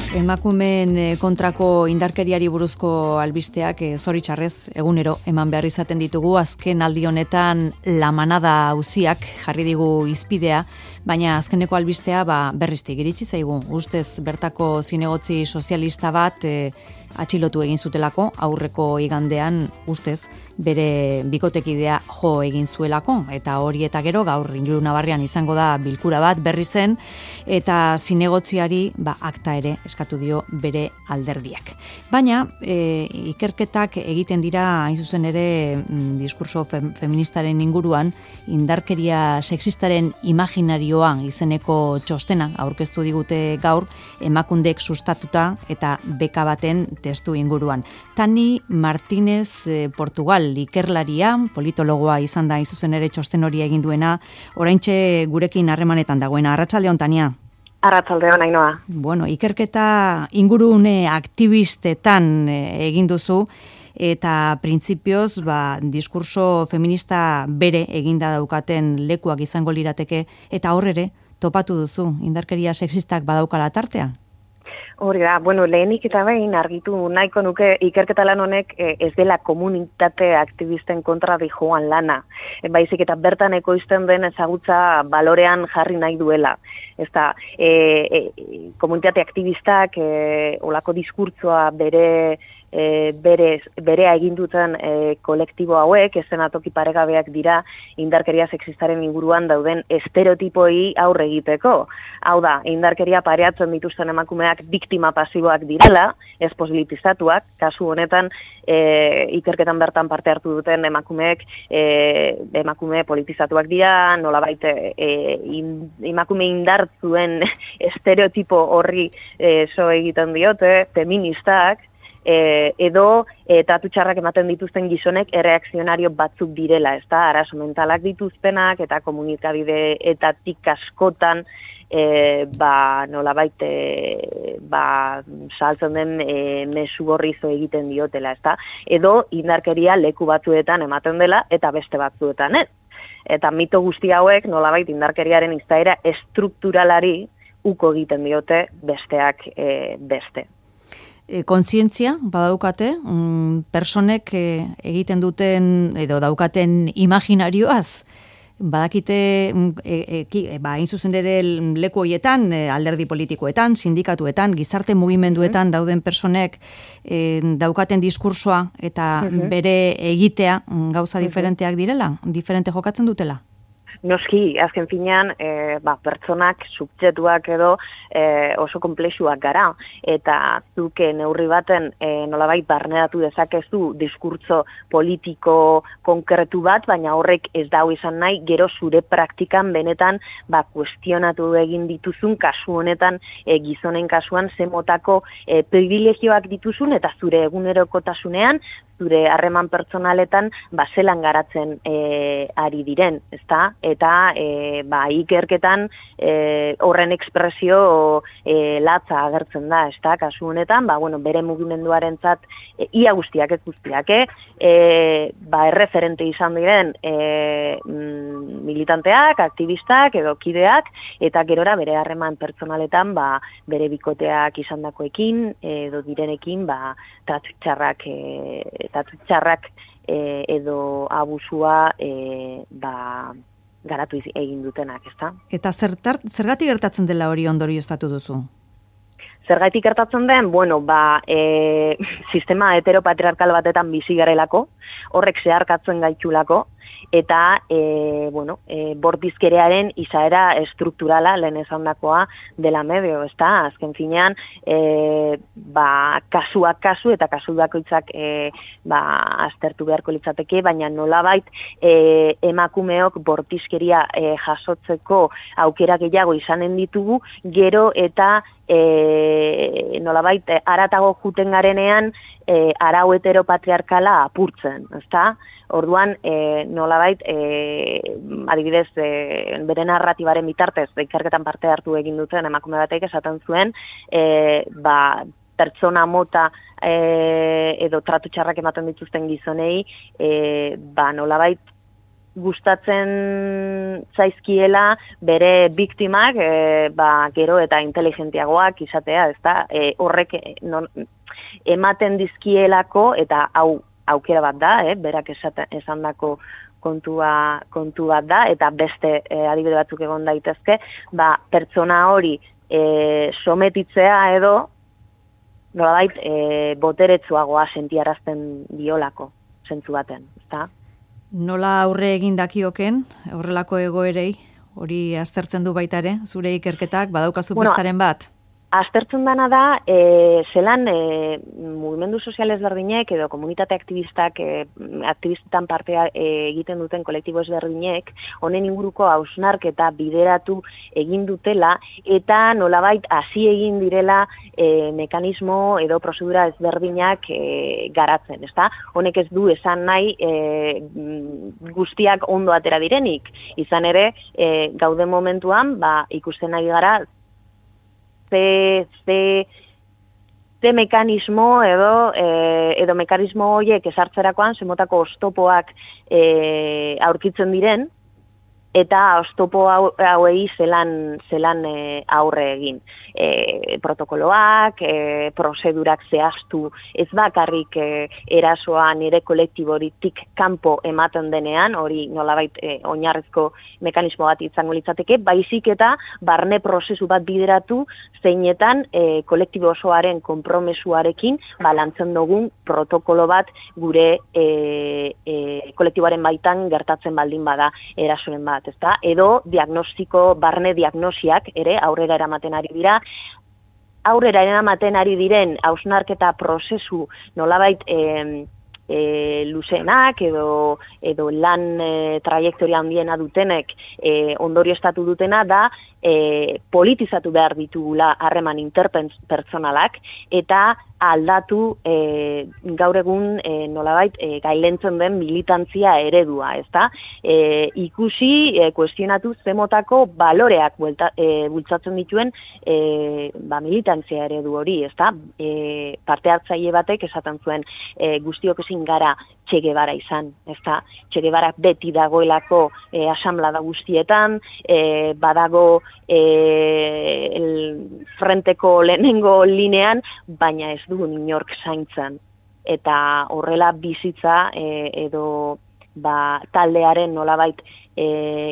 Emakumeen kontrako indarkeriari buruzko albisteak zoritxarrez egunero eman behar izaten ditugu. Azken aldi honetan La Manada auziak jarri digu izpidea, baina azkeneko albistea berriztik iritsi zaigu. Ustez bertako zinegotzi sozialista bat atxilotu egin zutelako, aurreko igandean ustez bere bikotekidea jo egin zuelako, eta hori eta gero gaur Ilunabarrean izango da bilkura bat berri zen, eta zinegotziari akta ere eskatu dio bere alderdiak. Baina ikerketak egiten dira hain zuzen ere diskurso feministaren inguruan, indarkeria sexistaren imaginarioa izeneko txostena aurkeztu digute gaur, Emakundek sustatuta eta beka baten testu inguruan. Tani Martínez Portugal ikerlaria, politologoa izan da hain zuzen ere txosten hori egin duena, oraintxe gurekin harremanetan dagoena. Arratsaldeon, Tania. Arratsaldeon, Ainoa. Bueno, ikerketa ingurune aktivistetan egin duzu, eta printzipioz diskurso feminista bere eginda daukaten lekuak izango lirateke, eta hor ere topatu duzu indarkeria sexistak badaukala tartea? Hori da, lehenik eta behin argitu nahiko nuke ikerketa lan honek ez dela komunitate aktivisten kontra dijoan lana. Baizik eta bertan ekoizten den ezagutza balorean jarri nahi duela. Ezta, komunitate aktivistak olako diskurtzoa berea egin duten kolektibo hauek, eszenatoki paregabeak dira indarkeria sexistaren inguruan dauden estereotipoi aurre egiteko. Hau da, indarkeria pareatzen dituzten emakumeak biktima pasiboak direla, ez posibilizatuak, kasu honetan ikerketan bertan parte hartu duten emakumeek emakume politizatuak dira, nolabait emakume indartzuen estereotipo horri so egiten diote, feministak, edo tratu txarrak ematen dituzten gizonek erreakzionario batzuk direla, ezta, arazo mentalak dituztenak eta komunikabideetatik askotan nolabait saltzen den mezu gorrizo egiten diotela, ezta, edo indarkeria leku batzuetan ematen dela eta beste batzuetan ez. Eta mito guzti hauek nolabait indarkeriaren izaera estrukturalari uko egiten diote besteak beste. Kontzientzia badaukate, personek egiten duten edo daukaten imaginarioaz, badakite hain zuzen ere leku horietan, alderdi politikoetan, sindikatuetan, gizarte mugimenduetan dauden personek daukaten diskursoa eta bere egitea gauza diferenteak direla, diferente jokatzen dutela? Noski, azken finean, pertsonak, subjektuak edo oso konplexuak gara, eta zuke neurri baten nolabait barneratu dezakezu diskurtso politiko konkretu bat, baina horrek ez dau izan nahi, gero zure praktikan benetan kuestionatu egin dituzun, kasu honetan gizonen kasuan zemotako privilegioak dituzun, eta zure egunerokotasunean, zure harreman pertsonaletan zelan garatzen ari diren, ezta? Eta ikerketan horren ekspresio latza agertzen da, ezta? Kasu honetan, bere mugimenduarentzat ia guztiak ez guztiak, erreferente izan diren militanteak, aktivistak edo kideak, eta gerora bere harreman pertsonaletan bere bikoteak izandakoekin edo direnekin tratu txarrak edo abusua garatu egin dutenak, ezta? Eta zergatik gertatzen dela hori ondorioztatu duzu? Zergatik gertatzen den, sistema heteropatriarkal batetan bizi garelako, horrek zeharkatzen gaitulako, eta bortizkerearen izaera estrukturala lehen esandakoa dela medio, ezta? Azken finean, kasuak kasu eta kasu bakoitzak aztertu beharko litzateke, baina nolabait emakumeok bortizkeria jasotzeko aukera gehiago izanen ditugu, gero eta nolabait haratago juten garenean arau heteropatriarkala apurtzen, ezta? Orduan, nolabait, adibidez, bere narratibaren bitartez, ikerketan parte hartu egin duten emakume batek esaten zuen, pertsona mota edo tratu txarrak ematen dituzten gizonei, nolabait, gustatzen zaizkiela bere biktimak gero eta inteligentiagoak izatea, ezta? Horrek ematen dizkielako, eta hau aukera bat da, berak esandako kontu bat da, eta beste adibide batzuk egon daitezke, pertsona hori sometitzea edo nolabait boteretsuagoa sentiarazten diolako zentzu baten, ezta? Nola aurre egin dakioken horrelako egoerei, hori aztertzen du baita ere, zure ikerketak badaukazu pistaren bat? Aztertzen dana da, zelan mugimendu sozial ezberdinek edo komunitate aktivistetan parte egiten duten kolektibo ezberdinek, honen inguruko hausnarketa bideratu egin dutela, eta nolabait hasi egin direla mekanismo edo prozedura ezberdinak garatzen, ezta? Honek ez du esan nahi guztiak ondo atera direnik, izan ere, gaude momentuan, ikusten ari gara, ze mekanismo edo mekanismo horiek ezartzerakoan zemotako oztopoak aurkitzen diren, eta oztopo hauei zelan aurre egin. Protokoloak, prozedurak zehaztu, ez bakarrik erasoa nire kolektiboritik kanpo ematen denean, hori nolabait oinarrizko mekanismo bat izango litzateke, baizik eta barne prozesu bat bideratu zeinetan kolektibo osoaren konpromesuarekin lantzen dugun protokolo bat gure kolektiboaren baitan gertatzen baldin bada erasoen bat. Ezta? Edo barne diagnosiak ere aurrera eramaten ari diren hausnarketa prozesu nolabait luzenak edo lan trajektoria handiena dutenek ondorioztatu dutena da politizatu behar ditugula harreman interpersonalak eta aldatu gaur egun nolabait gailentzen den militantzia eredua, ezta? Ikusi, kuestionatu zemotako baloreak bultzatzen dituen militantzia eredu hori, ezta? Parte hartzaile batek esaten zuen guztiok ezin gara Che Guevara izan, ezta? Che Guevara beti dagoelako asamblada guztietan, badago frenteko lehenengo linean, baina ez dugu inork zaintzen. Eta horrela bizitza edo taldearen nolabait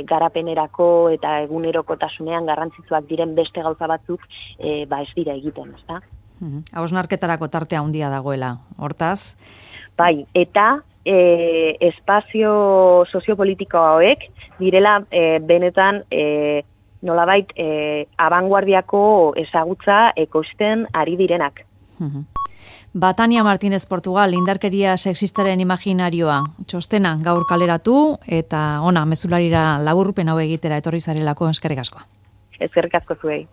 garapenerako eta egunerokotasunean garrantzitsuak diren beste gauza batzuk ez dira egiten, ezta? Hausnarketarako tartea handia dagoela, hortaz? Bai, eta espazio soziopolitiko hauek direla benetan nolabait abanguardiako ezagutza ekoizten ari direnak. Tania Martínez Portugal, indarkeria sexistaren imaginarioa, txostena gaur kaleratu eta ona mezularira laburpen hau egitera etorri zarelako, eskerrik asko. Eskerrik asko zuei.